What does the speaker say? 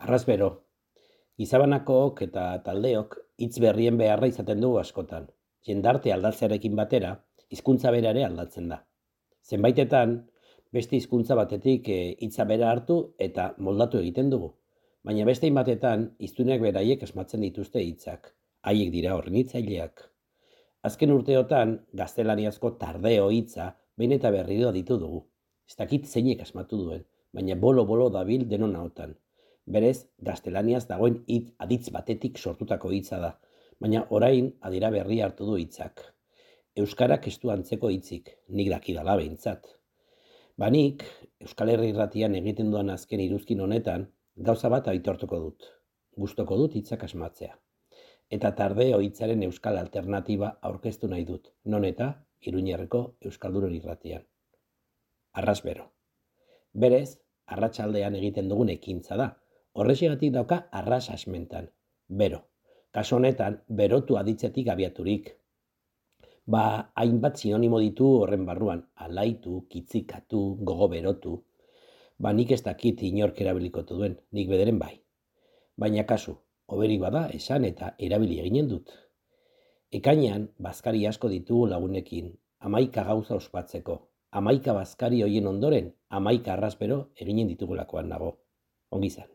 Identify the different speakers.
Speaker 1: Arrazbero, gizabanakook eta taldeok hitz berrien beharra izaten dugu askotan. Jendarte aldatzearekin batera, hizkuntza bera ere aldatzen da. Zenbaitetan, beste hizkuntza batetik hitza bera hartu eta moldatu egiten dugu. Baina beste batetan, hiztunek beraiek asmatzen dituzte hitzak. Haiek dira hornitzaileak. Azken urteotan, gaztelaniazko tardeo hitza behin eta berriro ditu dugu. Ez dakit zeinek asmatu duen, baina bolo-bolo dabil denon ahotan. Berez, gaztelaniaz dagoen aditz batetik sortutako hitza da, baina orain adira berri hartu du hitzak. Euskarak ez du antzeko hitzik, nik dakidala behintzat. Nik, Euskal Herri Irratian egiten duan azken iruzkin honetan, gauza bat aitortuko dut. Gustoko dut hitzak asmatzea. Eta tardeo hitzaren euskal alternatiba aurkeztu nahi dut, non eta Iruñerreko Euskaldunon Irratian. Arrazbero. Berez, arratsaldean egiten dugun ekintza da. Horrexegatik dauka arras asmentan. Bero. Kaso honetan, berotu aditzetik abiaturik. Hainbat sinonimo ditu horren barruan. Alaitu, kitzikatu, gogo berotu. Nik ez dakit inork erabilikotu duen, nik bederen bai. Baina kasu, hoberik bada esan eta erabili eginen dut. Ekainean, bazkari asko ditugu lagunekin, 11 gauza ospatzeko. 11 bazkari hoien ondoren, 11 arrazbero eginen ditugulakoan nago. Ongi izan.